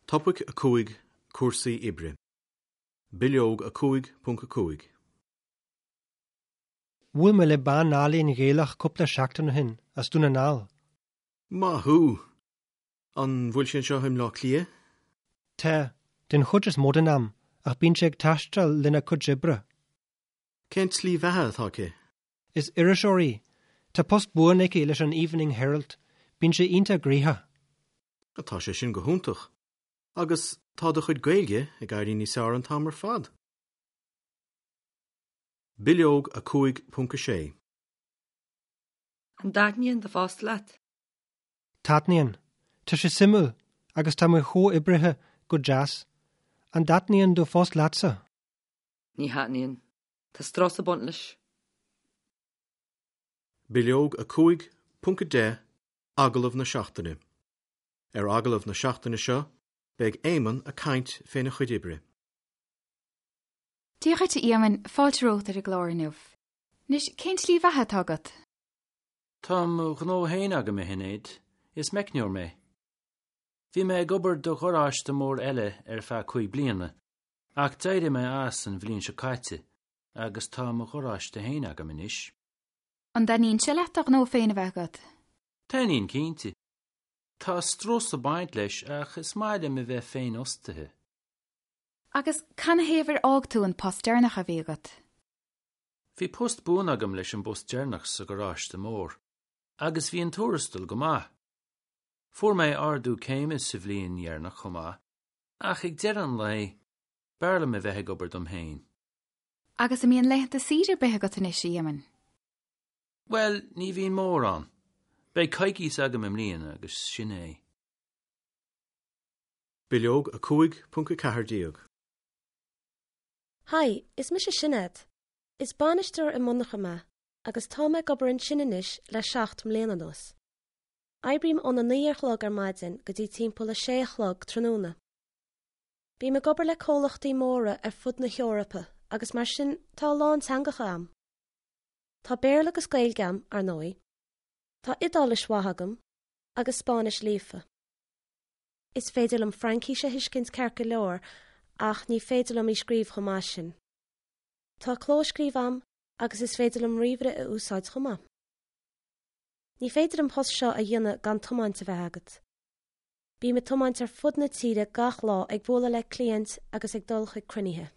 Topaic 5, Cúrsaí Oibre. Bileog 5.5. Bhuail mé le bean álainn Ghaelach cúpla seachtain ó shin, as Dún na nGall. Maith thú! An bhfuil sí anseo i mBleá Cliath? Tá, den chuid is mó den am, ach bíonn sí ag taisteal lena cuid oibre. Cén tslí bheatha atá aici? Is iriseoir í. Tá post buan aici leis an Evening Herald. Bíonn sí iontach gnoitheach. Tá sé sin go hiontach. Agus tá do chuid Gaeilge ag éirí níos fearr an t-am ar fad. Bileog 5.6. An dtaitníonn do phost leat? Taitníonn. Tá sé suimiúil agus tá mo chomhoibrithe go deas. An dtaitníonn do phost leatsa? Ní thaitníonn. Tá strus ag baint leis. Bileog 5.10 Agallamh na Seachtaine Ar agallamh na seachtaine seo, beidh Éamonn ag caint féna chuid oibre. Dia dhuit a Éamoinn, fáilte romhat ar an gclár inniu. Anois, cén tslí bheatha atá agat? Tá mo ghnó féin agam, a Shinéad. Is meicneoir mé. Bhí mé ag obair do gharáiste mór eile ar feadh 5 bliana, ach d'éirigh mé as an bhliain seo caite agus tá mo gharáiste féin agam anois. An dtaitníonn sé leat do ghnó féin a bheith agat? Taitníonn cinnte. Tá strus ag baint leis ach is maith liom a bheith féinfhostaithe. Agus canathaobh ar fhág tú an post deireanach a bhí agat? Bhí post buan agam leis an bpost deireanach sa gharáiste mór agus bhí an tuarastal go maith. Fuair mé ardú céime sa bhliain dheireanach chomh maith ach ag deireadh an lae, b'fhearr liom a bheith ag obair dom féin. Agus an mbíonn laethanta saoire ar bith agat anois, a Éamoinn? Bhuel, ní bhíonn mórán. Beidh coicís agam i mbliana agus sin é. Bileog 5.14. Haigh, is mise Sinéad. Is bainisteoir i monarcha mé agus tá mé ag obair ansin anois le 7 mbliana anuas. Oibrím óna 9 ar chlog ar maidin go dtí timpeall a 6 a chlog tráthnóna. Bím ag obair le comhlachtaí móra ar fud na hEorpa agus mar sin tá a lán teangacha a'm. Tá Béarla agus Gaeilge a'm, ar ndóigh. Tá Iodáilis mhaith agam, agus Spáinnis líofa. Is féidir liom Fraincís a thuiscint ceart go leor ach ní féidir liom í scríobh chomh maith sin. Tá clóscríobh a'm agus is féidir liom ríomhaire a úsáid chomh maith. Ní féidir an post seo a dhéanamh gan tiomáint a bheith agat. Bím ag tiomáint ar fud na tíre gach lá ag bualadh le cliaint agus ag dul chuig cruinnithe.